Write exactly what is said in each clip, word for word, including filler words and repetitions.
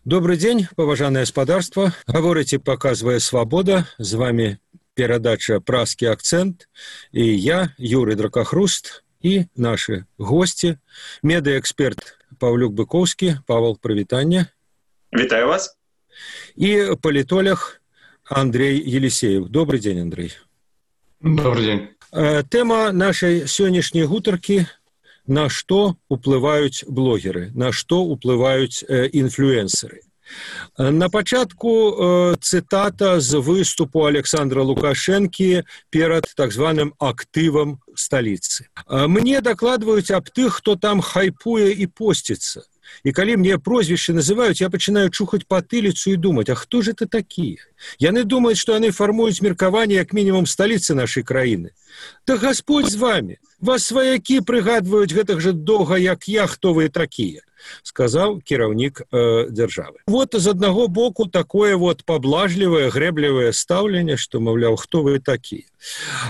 Добрый день, поважанное господарство. Говорите, показывая свобода. С вами передача «Пражский акцент». И я, Юрий Дракохруст, и наши гости. Медиаэксперт Павлюк Быковский. Павел, привитание. Витаю вас. И политолог Андрей Елисеев. Добрый день, Андрей. Добрый день. Тема нашей сегодняшней гутарки – на што уплываюць блогеры, на што уплываюць э, інфлюэнсеры. На пачатку э, цытата з выступу Александра Лукашэнкі перад так званым актывам сталіцы. Мне дакладваюць аб тых, хто там хайпуе і посціцца. І калі мне прозвішчы называюць, я пачынаю чухаць патыліцу і думаць, а хто ж это такія? Яны думаюць, што яны фармуюць меркаванне як мінімум сталіцы нашай краіны. Да Господь з вами! Вас сваякі прыгадваюць гэтых жа доўга, як я, хто вы такія, сказаў кіраўнік э, дзяржавы. Вот з аднаго боку такое вот паблажлівае, грэблівае стаўленне, што, маўляў, хто вы такія.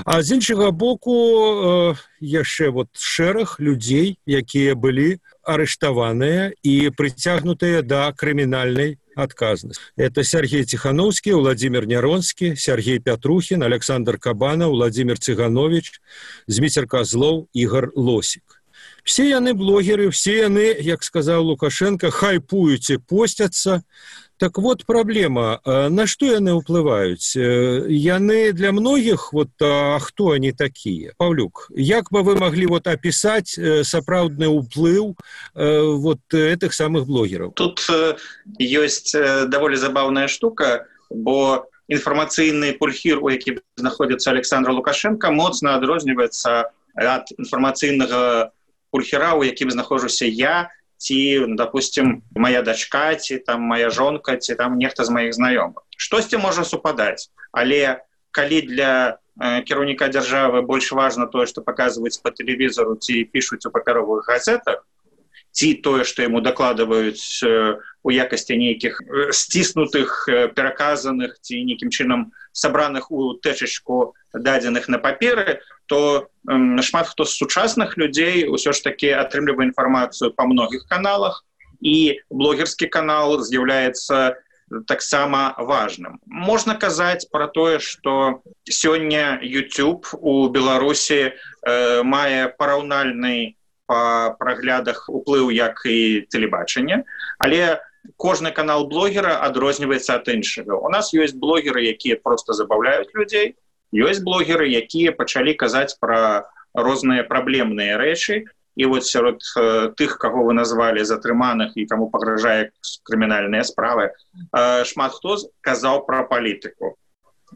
А з іншага боку э, яшчэ вот шэраг людзей, якія былі арыштаваныя і прыцягнутыя да крымінальнай отказность. Это Сергей Тихановский, Владимир Няронский, Сергей Пятрухин, Александр Кабанов, Владимир Цыганович, Змитер Козлов, Игорь Лосик. Все яны блогеры, все яны, як сказал Лукашенко, хайпуюць і посцяцца. Так вот проблема, на што яны ўплываюць? Яны для многіх, вот, а хто они такие? Павлюк, як бы вы могли вот описать сапраўдны ўплыв вот этих самых блогеров? Тут есть даволі забавная штука, бо информацыйны пульхір, у якім знаходзіцца Александр Лукашенко, моцна адрозніваецца ад информацыйнага пульхіра, у якім знаходжуся я, ці, допустим, моя дачка, ці там моя жонка, ці там нехта з маіх знаёмых. Штосьці можа супадаць, але калі для э, кіраўніка дзяржавы больш важна тое, што паказваюць па тэлевізору ці пішуць у папяровых газетах, ці тое, што яму дакладваюць э, у якасці нейкіх э, сціснутых, э, пераказаных ці нейкім чынам сабраных у тэчачку дадзеных на паперы, то э, шмат хто з сучасных людзей усё ж такі атрымлівае інфармацыю па многіх каналах, і блогерскі канал з'яўляецца таксама важным. Можна казаць пра тое, што сёння YouTube у Беларусі э, мае параўнальны па праглядах уплыў як і тэлебачанне, але кожны канал блогера адрозніваецца ад іншага. У нас ёсць блогеры, якія проста забаўляюць людзей, ёсць блогеры, якія пачалі казаць пра розныя праблемныя рэчы, і вот сярод э, тых, каго вы назвалі затрыманых і каму пагражае крымінальныя справы, э, шмат хто казаў пра палітыку.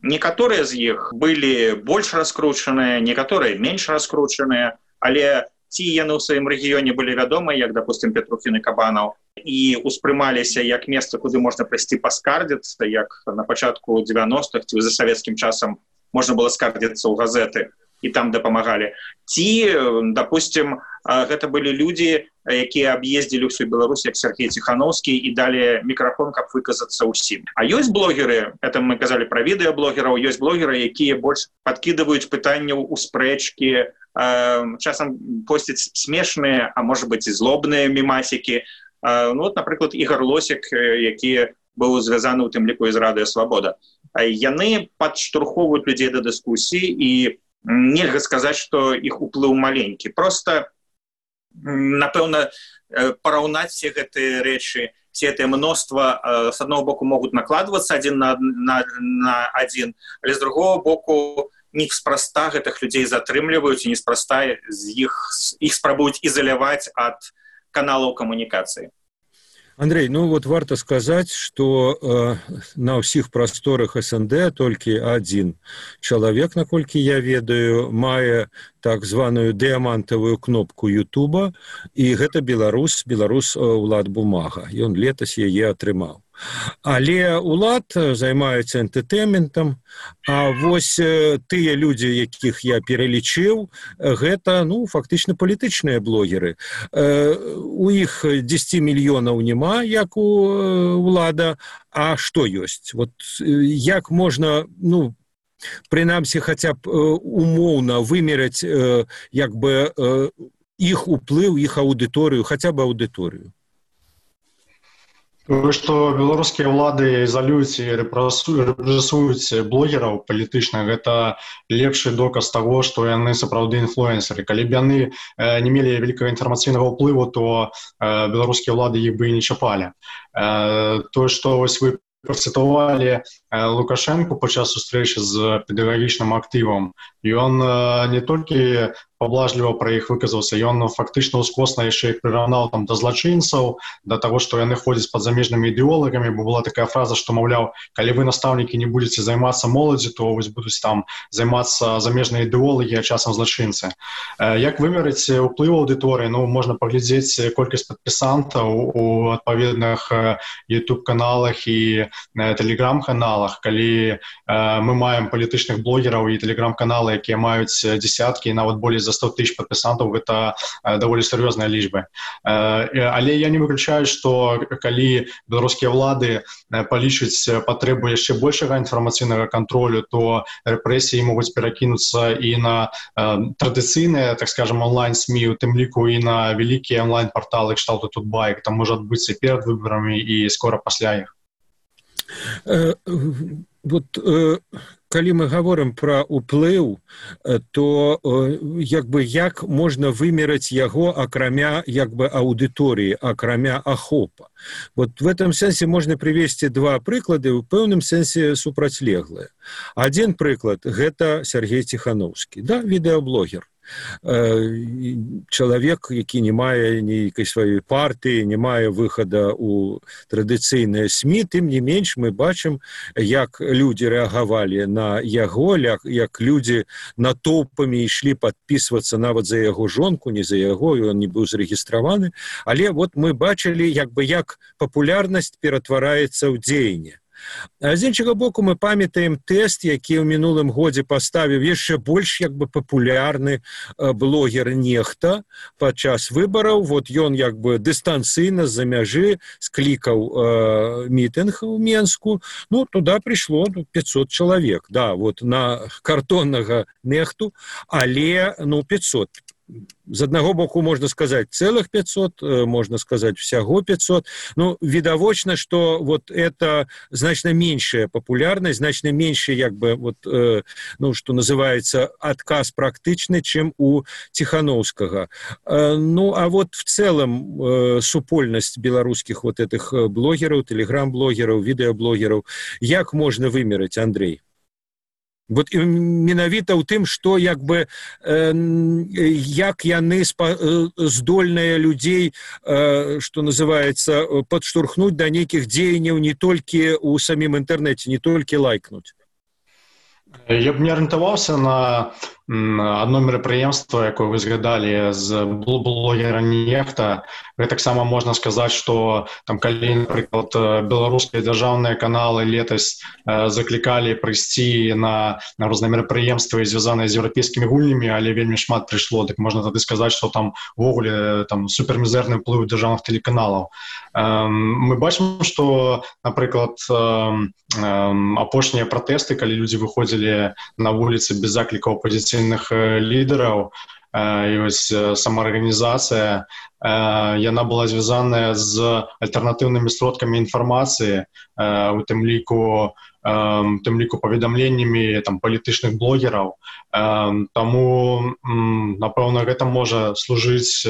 Некаторыя з іх былі больш раскручаныя, некаторыя менш раскручаныя, але ці яны ў сваім рэгіёне былі вядомыя, як, допустим, Петрухін і Кабанаў, і успрымаліся як месца, куды можна прыйсці паскардзіцца, як на пачатку дзевяностых, ці за савецкім часам можна было скардзіцца ў газеты, і там дапамагалі. Ці, допустим, гэта былі людзі, якія аб'ездзілі ўсю Беларусь, як Сергей Тихановский, і далі мікрафон, каб выказацца ўсім. А ёсць блогеры, это мы казалі пра відэаблогераў, ёсць блогеры, якія больш падкідваюць пытанняў у спрэчкі, часам посцяць смешныя, а можа быць і злобныя мемасікі. Ну, вот, напрыклад, Игорь Лосик, які быў звязаны ў тым ліку з Радыё Свабода. Яны падштурхоўваюць людзей да дыскусіі, і нельга сказаць, што іх уплыў маленькі. Просто, напэўна, параўнаць все гэтыя рэчы, все гэтае мноства, з аднаго боку, могуць накладвацца адзін на, на, на адзін, але з другого боку, неспроста гэтых людзей затрымліваюць, і неспроста з іх, іх спрабуюць ізаляваць ад каналаў камунікацыі. Андрей, ну вот варто сказать, что э, на ўсіх прасторах СНД толькі адзін чалавек, наколькі я ведаю, мае так званую дыямантавую кнопку Ютуба, і гэта беларус, беларус Улад Бумага. Ён летась яе атрымаў. Але Улад займаецца энтэртэйнментам, а вось тыя людзі, якіх я пералічыў, гэта, ну, фактычна палітычныя блогеры. У іх дзесяці мільёнаў няма, як у Улада, а што ёсць? Вот як можна, ну, прынамсі, хаця б умоўна вымераць як бы іх уплыў, іх аўдыторыю, хаця б аўдыторыю? Тое, што беларускія ўлады ізалююць і рэпрэсуюць блогераў палітычных, гэта лепшы доказ таго, што яны сапраўды інфлюэнсеры. Калі б яны не мелі вялікага інфармацыйнага ўплыву, то беларускія ўлады іх бы і не чапалі. Тое, што вось вы працытавалі Лукашэнку падчас сустрэчы з педагагічным актывам, ён не толькі паблажліва пра іх выказаўся, ён фактычна ўскосна яшчэ іх прыраўнаў там да злачынцаў, да таго, што яны ходзяць пад замежнымі ідэолагамі, бо была такая фраза, што, маўляў, калі вы, настаўнікі, не будзеце займацца моладзі, то вось будуць там займацца замежныя ідэолагі, а часам злачынцы. Як вымерыць уплыў аўдыторыі? Ну, можна паглядзець колькасць падпісантаў у адпаведных YouTube-каналах і Telegram-каналах. Калі мы маем палітычных блогераў і Telegram-каналы, якія маюць дзесяткі і нават болей за сто тысяч падпісантаў, гэта даволі сур'ёзныя лічбы. Але я не выключаю, што калі беларускія ўлады палічаць патрэбу яшчэ большага інфармацыйнага кантролю, то рэпрэсіі могуць перакінуцца і на традыцыйныя, так скажем, онлайн-СМІ, у тым ліку і на вялікія онлайн-парталы кшталту Тутбай. Гэта можа адбыцца перад выбарамі і скора пасля іх. Вот калі мы гаворым пра ўплыў, то як бы як можна вымераць яго акрамя як бы аўдыторыі, акрамя ахопа. Вот в этом сэнсе можна прывесці два прыклады, у пэўным сэнсе супрацьлеглыя. Адзін прыклад гэта Сергей Ціхановскі, да, відэаблогер. Чалавек, які не мае нейкай сваёй партыі, не мае выхада ў традыцыйныя СМІ, тым не менш мы бачым, як людзі рэагавалі на яго, як людзі натоўпамі ішлі падпісвацца нават за яго жонку, не за яго, ён не быў зарэгістраваны, але вот мы бачылі, як бы як папулярнасць ператвараецца ў дзеянне. А з іншага боку мы памятаем тэст, які ў мінулым годзе паставіў яшчэ больш як бы папулярны блогер Нехта падчас выбараў. Вот ён як бы дыстанцыйна з-за мяжы склікаў э, мітынг у Менску. Ну, туда прыйшло пятьсот чалавек, да, вот на картоннага Нехту, але ну пятьсот. З аднаго боку можна сказаць цэлых пятьсот, можна сказаць всяго пятьсот. Ну, відавочна, што вот это значна меншая папулярнасць, значна меншая як бы вот э, ну, што называецца адказ практычны, чым у Ціхановскага. Э, ну, а вот в цэлым э, супольнасць беларускіх вот этих блогераў, тэлеграм-блогераў, відэаблогераў, як можна вымераць, Андрей? Вот менавіта ў тым, што як бы э, як яны спа, э, здольныя людзей, э, што называецца, падштурхнуць да нейкіх дзеянняў не толькі ў самім інтэрнэце, не толькі лайкнуць. Я б не арыентаваўся на одно мерапрыемства, якое вы згадалі з блогера Нехта. Гэтаксама можна сказаць, што там калі, напрыклад, беларускія дзяржаўныя каналы летась заклікалі прыйсці на, на розныя мерапрыемствы, звязаныя з еўрапейскімі гульнямі, але вельмі шмат прыйшло, дык можна тады сказаць, што там увогуле там супермізэрны ўплыў дзяржаўных тэлеканалаў. Мы бачым, што, напрыклад, апошнія пратэсты, калі людзі выходзілі на вуліцы без заклікаў апозіцыйных лідараў, і вось самаарганізацыя, яна была звязаная з альтэрнатыўнымі сродкамі інфармацыі, у тым ліку тым ліку паведамленнямі там палітычных блогераў. Таму, напэўна, гэта можа служыць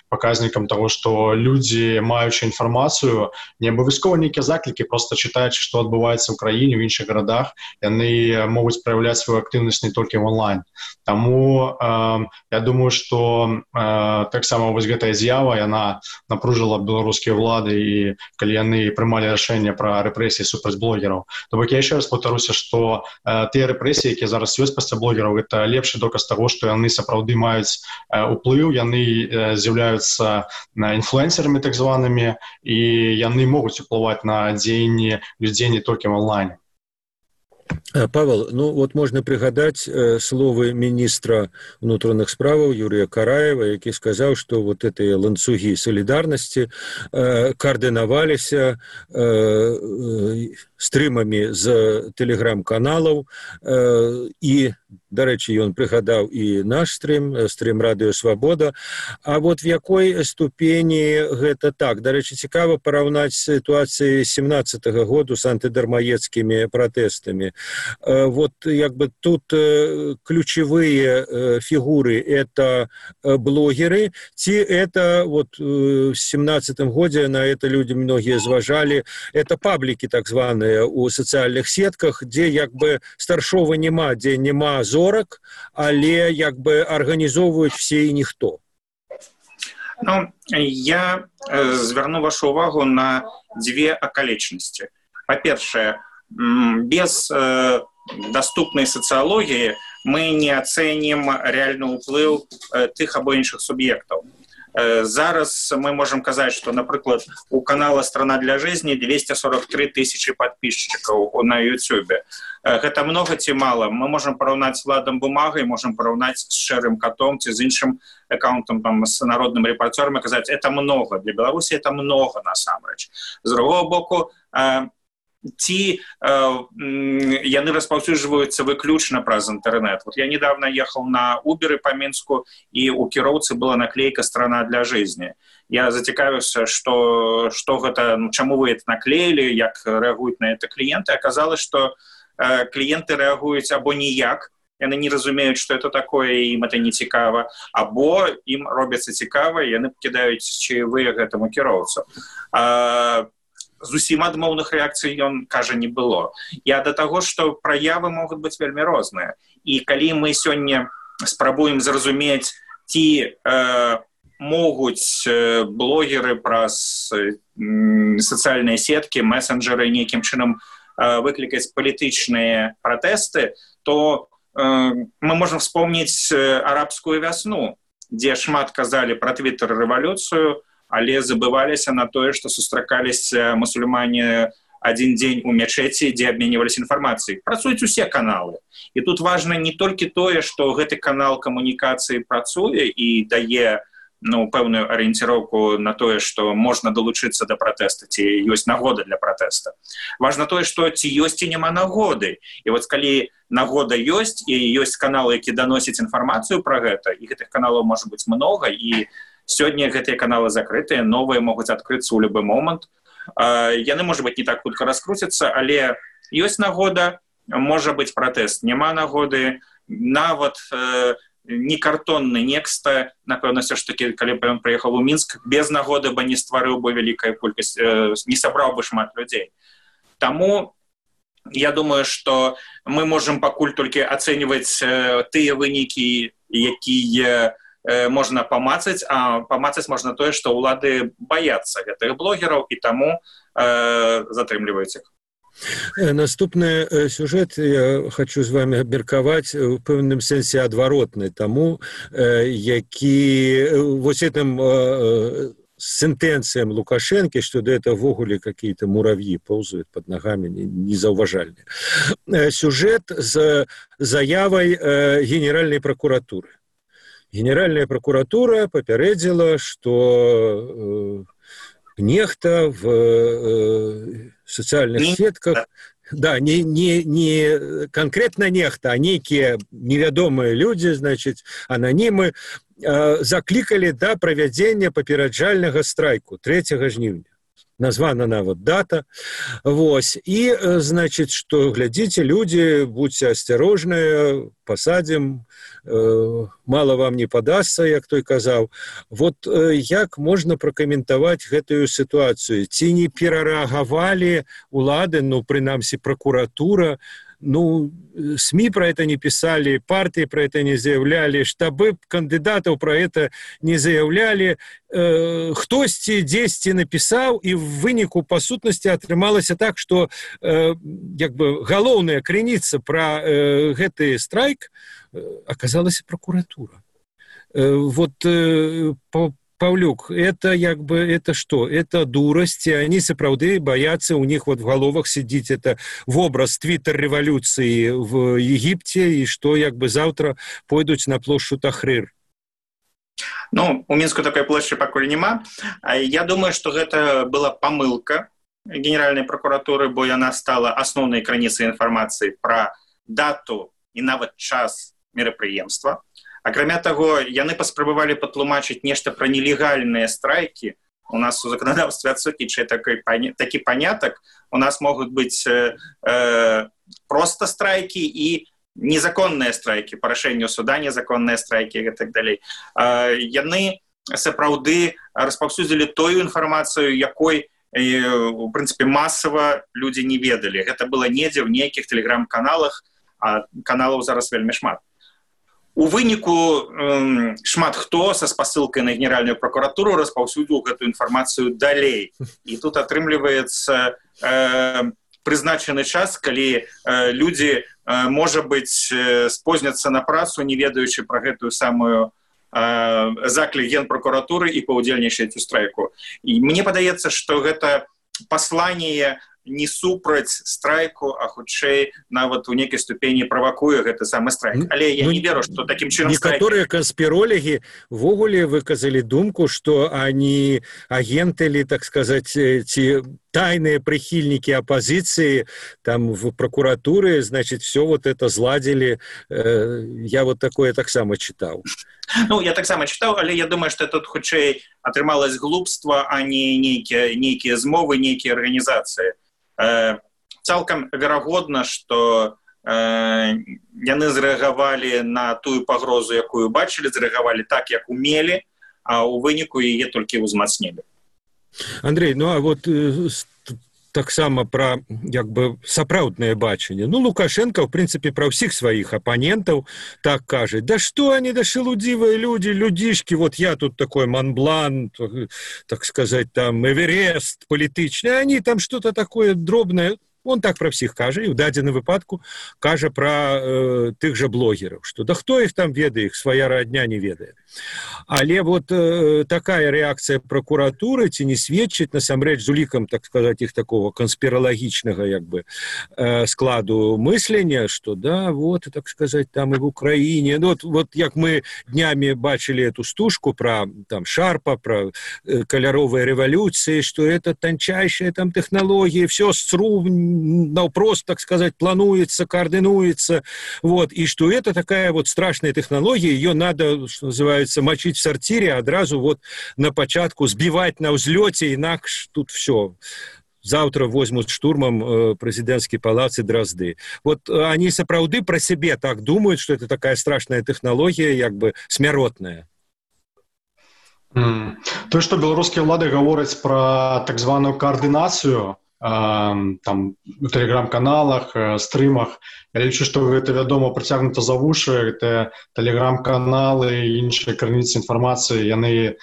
паказнікам таго, што людзі, маючы інфармацыю, не абавязкова нейкія заклікі, проста чытаючы, што адбываецца ў краіне, ў іншых гарадах, яны могуць праяўляць сваю актыўнасць не толькі в онлайн. Таму я думаю, што таксама вось гэтая з'ява, яна напружыла беларускія ўлады, і калі яны прымалі рашэнне пра рэпрэсіі супраць блогераў. То бок я яшчэ раз паўтаруся, што тыя рэпрэсіі, якія зараз ёсць пасля блогераў, гэта лепшы доказ таго, што яны сапраўды маюць уплыў, яны з'яўляюцца інфлюэнсерамі так званымі, і яны могуць уплываць на дзеянні людзей не толькі в онлайне. Павел, ну вот можна прыгадаць э, словы міністра ўнутраных справаў Юрія Караева, які сказаў, што вот гэтыя ланцугі салідарнасці э, каардынаваліся э, э, стрымамі з тэлеграм-каналаў, э, і Дарэчы, ён прыгадаў і наш стрим, стрим Радыё Свабода. А вот в якой ступені гэта так? Дарэчы, цікава параўнаць сітуацыі семнадцатага году з антыдармаецкімі пратэстамі. Вот як бы тут ключевые фигуры это блогеры, ці это вот в семнадцатым году на это люди многие зважали, это паблики так званые у социальных сетках, где як бы старшого нема, где нема зорок, але як бы организовывают все и никто. Ну, я э, зверну вашу увагу на две околечности. По-перше, без э, доступной социологии мы не оценим реальный уплыв э, тых або іншых субъектов. Э, зараз мы можем сказать, что, например, у канала «Страна для жизни» двести сорок три тысячи подписчиков на Ютубе. Э, это много ці мало? Мы можем поравнать с Владом Бумагой, можем поравнать с Шерым Котом, ці с іншим аккаунтом, там, с народным репортером, и сказать, это много. Для Беларуси это много, насамрэч. С другого боку, э, ці э, яны распаўсюджваюцца выключна праз інтэрнэт. Вот я недавно ехал на Uber по Минску, и у кіроўцы была наклейка «Страна для жизни». Я зацікавіўся, что, что гэта, ну, чаму вы это наклеили, як реагуюць на это клиенты. Оказалось, что э, клиенты реагуюць або ніяк, яны не разумеюць, что это такое, і ім это не цікава, або ім робіцца цікава, і яны пакідаюць чаевыя гэтаму кіроўцу. А, зусім адмоўных рэакцый ён кажа не было. Я да таго, што праявы могуць быць вельмі розныя. І калі мы сёння спрабуем зразумець, ці э, могуць э, блогеры праз э, сацыяльныя сеткі, месенджеры нейкім чынам э, выклікаць палітычныя пратэсты, то э, мы можам вспомніць э, арабскую вясну, дзе шмат казалі пра твиттер-рэвалюцыю, але забываліся на тое, што сустракаліся мусульмане адзін дзень у мячэці, дзе абменьваліся інфармацыяй. Працуюць усе каналы. І тут важна не толькі тое, што гэты канал камунікацыі працуе і дае, ну, пэўную арыенціроўку на тое, што можна далучыцца да пратэста, ці ёсць нагода для пратэста. Важна тое, што ці ёсць і няма нагоды. І вот калі нагода ёсць, і ёсць каналы, які даносяць інфармацыю пра гэта, і гэтых каналаў можа быць многа, і сёння гэтыя каналы закрытыя, новыя могуць адкрыцца ў любы момант. Яны, можа быць, не так хутка раскруцяцца, але ёсць нагода, можа быць пратэст. Няма нагоды, нават э, не картонны некста, напэўна, все ж таки, калі б ён прыехаў у Мінск, без нагоды бы не стварыў бы вялікая колькасць, э, не сабраў бы шмат людзей. Таму я думаю, што мы можам пакуль толькі ацэньваць э, тыя вынікі, якія можно памацаць, а памацаць можна тое, што ўлады баяцца гэтых блогераў і таму э, затрымліваюць іх. Наступны сюжет я хочу з вами абмеркаваць у пэўным сэнсе адваротны таму, э, які вось этим э, сентенциям Лукашенко, что до этого ввогуле какие-то муравьи ползают под ногами, незауважальные. Сюжет с заявой э, Генеральной прокуратуры. Генеральная прокуратура папярэдзіла, што э, нехта в э, социальных сетках, да, не, не, не конкретно нехта, а некие невядомыя люди, значит, анонимы, э, закликали да правядзення папераджальнага страйку трэцяга жніўня. Названа нават дата. Вось. И, значит, что, глядите, люди, будьте осторожны, посадим, э, мало вам не подастся, як той казаў. Вот э, як можно прокомментовать гэтую ситуацию? Ці не перарэагавалі улады, ну, прынамсі, прокуратура, ну, СМИ про это не писали, партии про это не заявляли, штабы кандидатов про это не заявляли. Э, хтосьці дзесьці написал, и в выніку, по сутнасці, атрымалася так, что э, як бы галоўная крыніца про э, гэты страйк э, оказалась прокуратура. Э, вот э, по Павлюк, это як бы, это что? Это дурость, и они сапраўды боятся, у них вот в головах сидит это в образ твиттер-революции в Египте, и что як бы завтра пойдут на площадь Тахрир. Ну, у Мінску такой площади пакуль нема. Я думаю, что это была помылка Генеральной прокуратуры, бо яна стала основной крыніцай информации про дату і нават час мерапрыемства. Акрамя таго, яны паспрабавалі патлумачыць нешта пра нелегальныя страйкі. У нас у законодаўстве адсутнічае такі панятак. У нас могуць быць э, э, проста страйкі і незаконныя страйкі, парашэнню суда, незаконныя страйкі і так далей. Э, яны сапраўды распаўсюдзілі тую інфармацыю, якой, э, у прынцыпе, масава людзі не ведалі. Гэта было недзе ў нейкіх тэлеграм-каналах, а каналаў зараз вельмі шмат. У выніку э, шмат хто са спасылкай на генеральную прокуратуру распаўсюдзіў гэту інфармацыю далей. І тут атрымліваецца э, прызначаны час, калі э, людзі, э, можа быць, э, спозняцца на працу, не ведаючы пра гэтую самую э, заклік генпрокуратуры і паўдзельнічаць у страйку. І мне падаецца, што гэта пасланне не супраць страйку, а хутчэй нават у нейкай ступені правакуе гэты самы страйк. Але я ну, не веру, што такім чынам некаторыя страйк... канспіролегі ввогуле выказалі думку, што они агенты ли, так сказать, ці тайные прихильники оппозиции там в прокуратуре, значит, все вот это зладили. Я вот такое так само читал. Ну, я так само читал, але я думаю, что тут хутчэй атрымалось глупство, а не нейкія, нейкія змовы, нейкія организации. Цалкам верагодна, што э, яны зрэагавалі на тую пагрозу, якую бачылі, зрэагавалі так, як умелі, а ў выніку яе толькі ўзмацнілі. Андрей, ну а вот э, таксама пра як бы сапраўднае бачанне. Ну, Лукашенко, в принципе, пра ўсіх сваіх апанентаў так кажа: да что они, да шелудзівыя люди, людишки, вот я тут такой Монблан, так сказать, там Эверест політычны, они там что-то такое дробное. Он так про всіх кажа, і ў дадзеным выпадку кажа пра э, тых жа блогераў, што да хто іх там ведае, іх свая радня не ведае. Але вот э, такая рэакцыя прокуратуры ці не сведчыць насамрэч з улікам, так сказать, іх такого канспіралагічнага як бы э, складу мыслення, што да, вот, так сказать, там і в Украіне. Ну, вот, вот як мы днямі бачылі эту стужку пра там Шарпа, пра э, каляровыя рэвалюцыі, што это танчайшая там тэхналогія, все сцру наўпрост, так сказать, плануется, координуется, вот, и что это такая вот страшная технология, ее надо, что называется, мочить в сортире, одразу вот на початку сбивать на взлете, инакше тут все. Завтра возьмут штурмом э, президентский палац и Дрозды. Вот э, они сапраўды про себе так думают, что это такая страшная технология, як бы смяротная. Mm. То, что белорусские влады говорят про так званую координацию, там у тэлеграм-каналах, стрымах. Я лічу, што гэта, вядома, прыцягнута за вушы, гэта тэлеграм-каналы і іншыя крыніцы інфармацыі, яны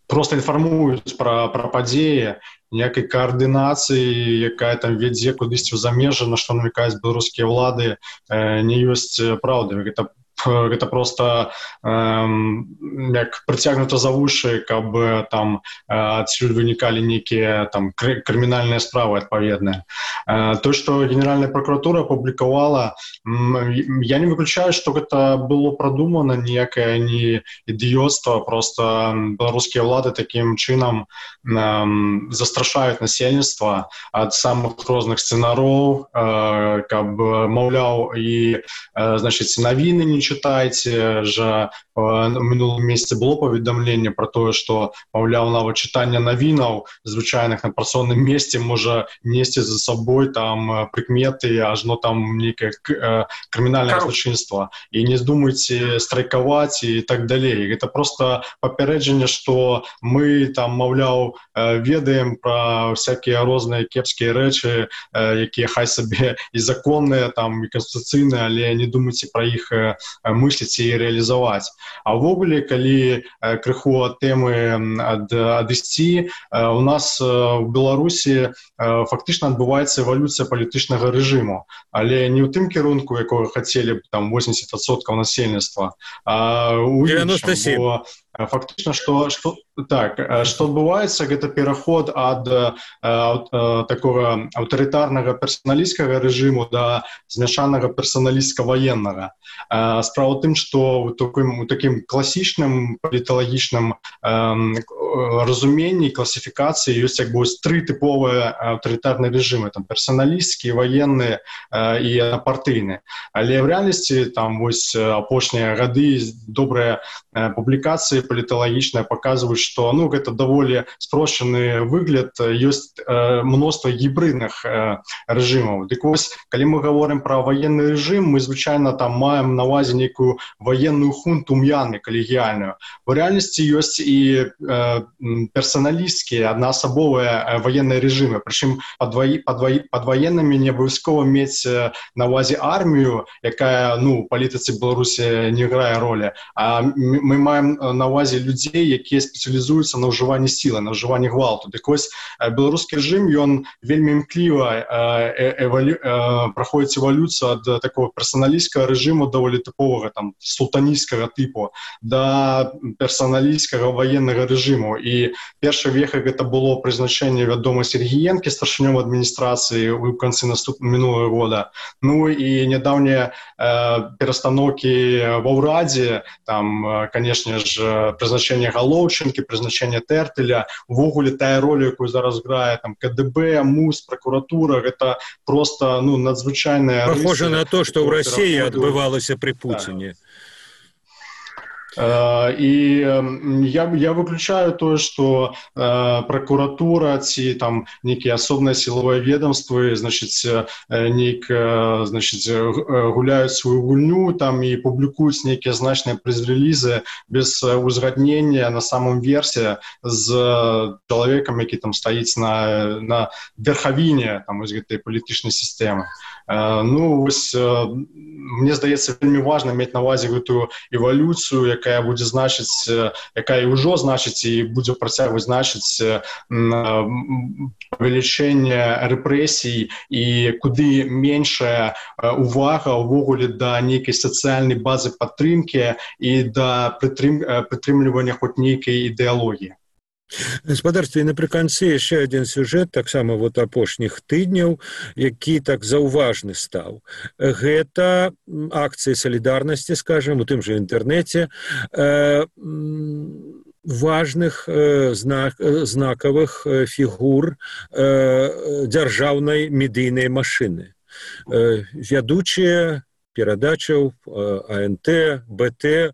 проста інфармуюць пра, пра падзеі, ніякай каардынацыі, якая там вядзе кудысьці ў замежжа, на што намякаюць беларускія ўлады, не ёсць праўды. Гэта гэта просто эм, як прыцягнута за вушы, каб там адсюль вынікалі нейкія там крымінальныя справы адпаведныя. Э, то, што Генеральная прокуратура апублікавала, я не выключаю, што гэта было прадумана, ніякае не ідыёцтва, просто беларускія ўлады такім чынам эм, застрашаюць насельніцтва ад самых розных сцэнароў, э, каб, маўляў, і э, значыць, навіны не читайте же, в минулом месяце было паведамленне про тое, што, маўляў, нават чытанне навінаў звычайных на працоўным месте можа несці за собой там прыкметы, ажно там нейкае крымінальнае злачынства. І не здумайце страйкаваць і так далей. Гэта просто папярэджанне, што мы там, маўляў, ведаем пра всякія розныя кепскія рэчы, якія хай сабе і законныя, там і канстытуцыйныя, але не думайце пра іх мысліць і рэалізаваць. А ўвогуле, калі крыху ад тэмы ад, адысці, у нас у Беларусі фактычна адбываецца эвалюцыя палітычнага рэжыму, але не ў тым кірунку, якога хацелі б там восемьдесят процентов насельніцтва, а ў іншым. Бо фактычна, што, што Так, што адбываецца, гэта пераход ад э, э, такога аўтарытарнага персаналісцкага рэжыму да змяшанага персаналісцка-ваеннага. Э, справа ў тым, што ў такім, у такім класічным паліталагічным э, разуменні, класіфікацыі ёсць як бы тры тыповыя аўтарытарныя рэжымы, там персаналісцкі, ваенны э, і аднапартыйны. Але ў рэальнасці там вось апошнія гады добрыя э, публікацыі паліталагічныя паказваюць, што ну гэта даволі спрошчаны выгляд, ёсць э, мноства гібридных э, рэжымаў. Дык вось, калі мы гаворым пра ваенны рэжым, мы звычайна там маем на ўвазе нейкую ваенную хунту М'янмы калегіяльную. У рэальнасці ёсць і э, персаналісцкія, аднаасабовыя э, ваенныя рэжымы. Прычым пад, ваі, пад, ваі, пад ваеннымі не абавязкова мець э, на ўвазе армію, якая ну, у палітыцы Беларусі не грае ролі, а мы маем на ўвазе людзей, якія спецыялізуюцца на ўжыванні сілы, на ўжыванні гвалту. Дык вось беларускі рэжым, ён вельмі імкліва э, эвалю, э, праходзіць эвалюцыю ад такого персаналісцкага рэжыму даволі тыповага там султанісцкага тыпу да персаналісцкага ваеннага рэжыму. І першы веха гэта было прызначэнне вядома Сергіенкі старшынём адміністрацыі ў канцы наступнага мінулага года. Ну і нядаўнія э, перастаноўкі ва ўрадзе, там, канешне ж, прызначэнне Галоўчынкі, прызначэнне Тэртэля, увогуле тая роля, якую зараз грае там ка дэ бэ, МУС, пракуратура, гэта просто ну надзвычайная рыса. Похоже на то, што ў Расіі адбывалася пры Пуціне. І я, я выключаю тое, што э, пракуратура ці там нейкія асобныя сілавыя ведомствы значыць, нейк, значыць, гуляюць сваю гульню там і публікуюць нейкія значныя прэс-рэлізы без узгаднення на самом версе з чалавекам, які там стаіць на, на верхавіне там, гэтай палітычнай сістэмы. Э, ну, вось, э, мне здаецца, вельмі важна мець на ўвазе гэтую эвалюцыю, якая будзе значыць, якая ўжо значыць і будзе працягваць значыць павелічэнне рэпрэсій і куды меншая увага ўвогуле да нейкай сацыяльнай базы падтрымкі і да прытрым, прытрымлівання хоць нейкай ідэалогіі. Гаспадарстве, напрыканцы яшчэ адзін сюжэт таксама вот апошніх тыдняў, які так заўважны стаў. Гэта акцыі салідарнасці, скажам, у тым жа інтэрнэце э, важных э, знак, знакавых фігур э, дзяржаўнай медыйнай машыны. Э, вядучыя перадачаў а эн тэ, бэ тэ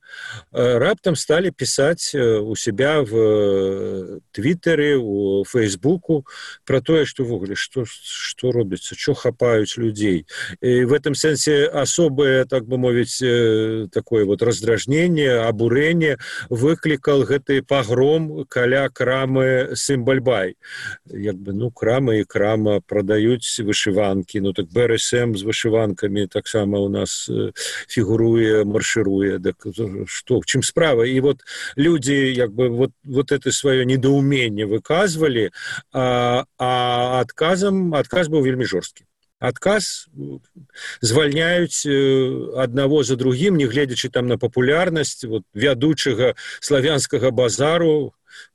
раптам сталі пісаць у себя в Твиттере, у Фейсбуку про тое, што ввогуле што, што робіцца, што хапаюць людзей. І в этом сэнсе асобае, так бы мовіць, такое вот раздражненне, абурэнне выклікал гэты пагром каля крамы Сімбальбай. Як бы, ну, крама і крама прадаюць вышыванкі, ну так бэ эр эс эм з вышыванкамі таксама у нас фігуруе, маршируе. Так што, в чым справа? І вот людзі як бы вот, вот это сваё недоуменне выказвалі, а, а адказам, адказ быў вельмі жорсткі. Адказ звальняюць аднаго за другім, не гледзячы там на папулярнасць вот, вядучага славянскага базару,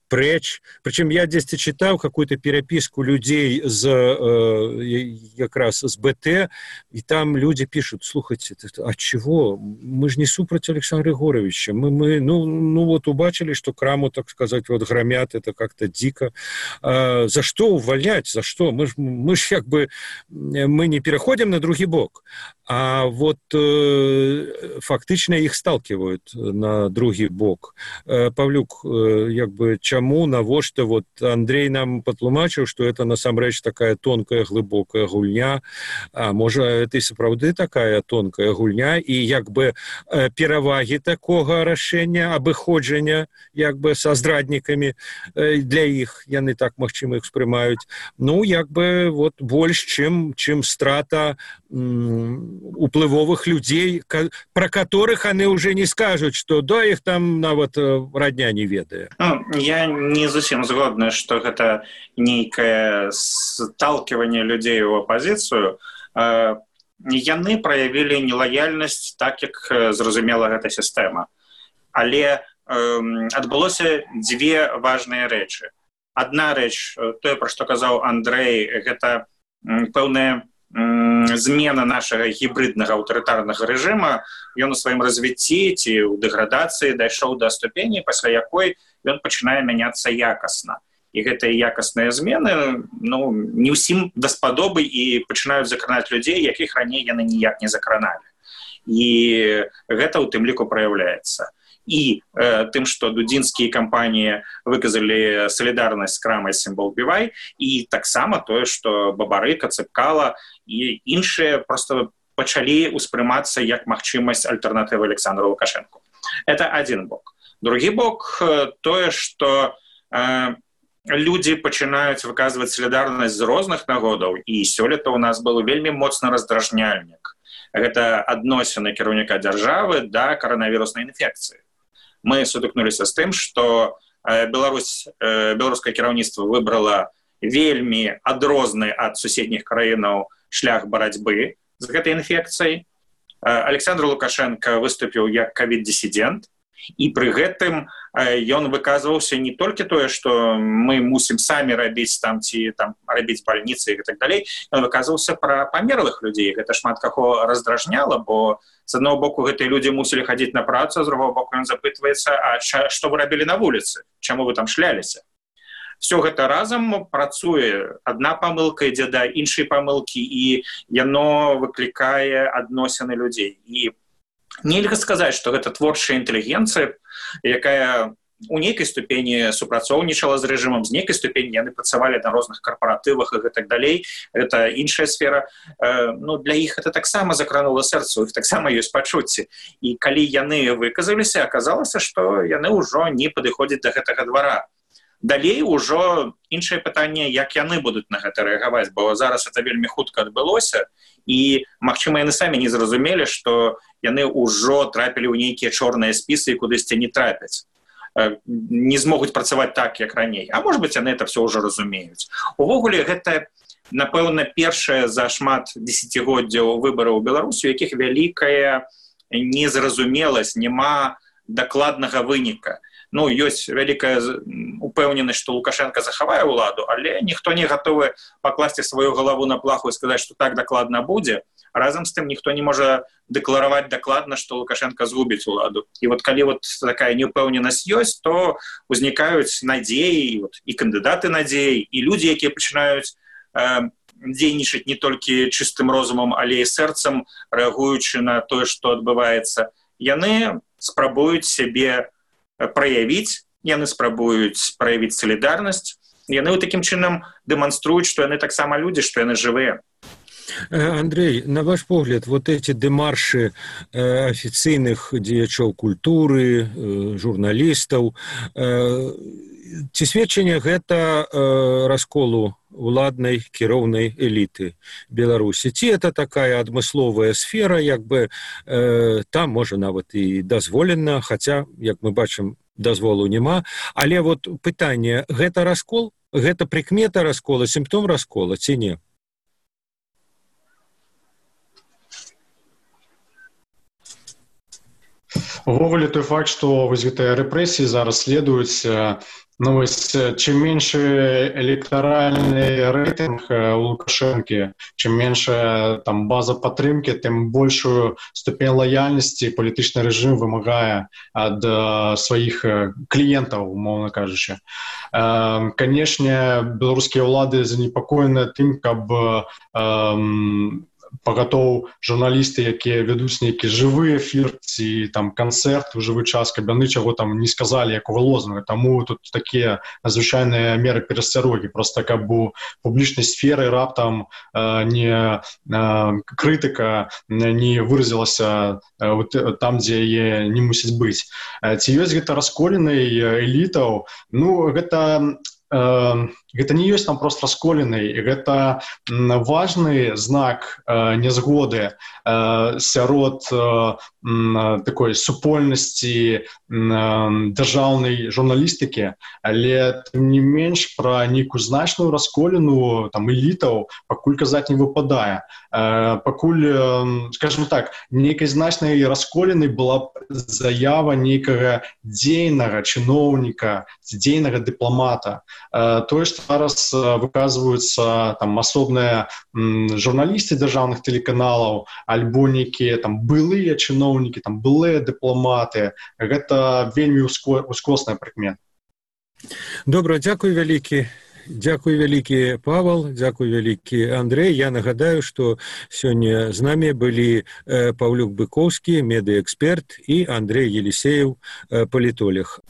прэч. Причем я дзесьці читал какую-то переписку людей з э, якраз з бэ тэ, и там люди пишут: слухайте, а чего? Мы же не супраць Александра Егоровича. Мы, мы ну, ну вот убачили, что краму, так сказать, вот громят, это как-то дико. А за что увольнять? За что? Мы ж, мы ж как бы мы не переходим на другі бок. А вот э, фактично их сталкивают на другі бок. Э, Павлюк, э, як бы чаму, навошта, вот Андрей нам патлумачыў, что это насамрэч такая тонкая, глыбокая гульня, а можа это і сапраўды такая тонкая гульня, і як бы э, перавагі такога рашэння, абыходжання як бы са здраднікамі э, для іх, яны так магчыма іх спрымаюць, ну як бы вот больш, чым, чым страта м, уплывовых людей, про которых они уже не скажут, что да, их там нават родня не ведае. Ну, я не зусім згодна, что гэта нейкае сталкивание людей у оппозицию. Яны проявили нелояльность так, як зразумела гэта система. Але адбылося дзве важныя рэчы. Адна рэч, тое, пра што казаў Андрэй, гэта пэўная змена нашага гібриднага аўтарытарнага рэжыма. Ён у сваім развіцці ці ў дэградацыі дайшоў да ступені, пасля якой ён пачынае мяняцца якасна. І гэтыя якасныя змены ну, не ўсім даспадобы і пачынаюць закранаць людзей, якіх раней яны ніяк не закраналі. І гэта ў тым ліку праяўляецца. І э, тым, што дудзінскія кампаніі выказалі салідарнасць з крамай «Сімвол Бівай», і таксама тое, што Бабарыка, Цыпкала і іншыя проста пачалі ўспрымацца як магчымасць альтэрнатывы Александру Лукашэнку. Это адзін бок. Другі бок э, тое, што э, людзі пачынаюць выказваць салідарнасць з розных нагодаў, і сёлета ў нас быў вельмі моцны раздражняльнік. Гэта адносіны кіраўніка дзяржавы да каранавіруснай інфекцыі. Мы сутыкнуліся з тым, што Беларусь, беларускае кіраўніцтва выбрала вельмі адрозны ад суседніх краінаў шлях барацьбы з гэтай інфекцыяй. Александр Лукашенко выступіў як ковід-дысідэнт, і пры гэтым ён выказваўся не толькі тое, што мы мусім самі рабіць там ці там рабіць бальніцы і так далей, ён выказваўся пра памерлых людзей. Гэта шмат каго раздражняла, бо з аднаго боку гэтыя людзі мусілі хадзіць на працу, а з другого боку ён запытваецца, а што вы рабілі на вуліцы? Чаму вы там шляліся? Все гэта разам працуе. Адна памылка ідзе да іншай памылкі, і яно выклікае адносіны людзей. І нельга сказаць, што гэта творчая інтэлігенцыя, якая у нейкай ступені супрацоўнічала з рэжымам, з нейкай ступені яны працавалі на розных карпаратывах і гэтак далей. Гэта іншая сфера. Ну, для іх гэта таксама закранула сэрца, у іх таксама ёсць пачуцці. І калі яны выказаліся, аказалася, што яны ўжо не падыходзяць да гэтага двара. Далей ужо іншае пытанне, як яны будуць на гэта рэагаваць, бо зараз это вельмі хутка адбылося, і, магчыма, яны самі не зразумелі, што яны ўжо трапілі ў нейкія чорныя спісы і кудысьці не трапяць. Не змогуць працаваць так, як раней. А можа быць, яны это все ўжо разумеюць. Увогуле, гэта, напэўна, першае за шмат дзесяцігоддзяў выбараў у Беларусі, у якіх вялікая незразумеласць, няма дакладнага выніка. Ну, ёсць вялікая упэўненасць, што Лукашенко захавае ўладу, але ніхто не гатовы пакласці сваю галаву на плаху і сказаць, што так дакладна будзе. Разам з тым ніхто не можа дэклараваць дакладна, што Лукашенко згубіць уладу. І вот калі вот такая неўпэўненасць ёсць, то узнікаюць надзеі, вот, і кандыдаты надзеі, і людзі, якія пачынаюць э, дзейнічаць не толькі чыстым розумам, але і сэрцам, рэагуючы на тое, што адбываецца. Яны спрабуюць сябе праявіць, яны спрабуюць праявіць салідарнасць, яны такім чынам дэманструюць, што яны таксама людзі, што яны жывыя. Андрей, на ваш погляд, вот эти демарши э, официальных дзеячоў культуры, э, журналістаў, э, ці сведчанне гэта э, расколу уладнай кіроўнай эліты Беларусі? Ці это такая адмысловая сфера, як бы э, там можа нават і дазволена, хаця, як мы бачым, дазволу няма. Але вот пытанне, гэта раскол? Гэта прыкмета раскола, сімптом раскола, ці не? Увогуле той факт, што вось гэтыя рэпрэсіі зараз следуюць, ну вось чым меншы электаральны рэйтынг у Лукашэнкі, чым меншая там база падтрымкі, тым большую ступень лаяльнасці палітычны рэжым вымагае ад сваіх кліентаў, умоўна кажучы. Канешне, беларускія ўлады занепакоеныя тым, каб пагатоў журналісты, якія вядуць нейкі жывы эфір ці там канцэрт у жывы час, каб яны чаго там не сказалі, якога лозунгу. Таму тут такія надзвычайныя меры перасцярогі, проста каб у публічнай сферы раптам э, не э, крытыка не выразілася э, там, дзе яе не мусіць быць. Ці ёсць гэта расколенай элітаў? Ну, гэта гэта не ёсць там просто расколіны, гэта важны знак э, нязгоды э, сярод э, такой супольнасці э, дзяржаўнай журналістыкі, але тым не менш пра нейкую значную расколіну там элітаў пакуль казаць не выпадае. Э, пакуль, э, скажем так, нейкай значнай расколіны была заява нейкага дзейнага чыноўніка, дзейнага дыпламата. Э, тое, што зараз выказваюцца там асобныя журналісты дзяржаўных тэлеканалаў, альбо нейкія там былыя чыноўнікі, там былыя дыпламаты, гэта вельмі ускосная прыкмета. Добра, дзякуй вялікі. Дзякуй вялікі, Павал, дзякуй вялікі, Андрэй. Я нагадаю, што сёння з намі былі Паўлюк Быкоўскі, медыэксперт, і Андрэй Елісеев, палітолог.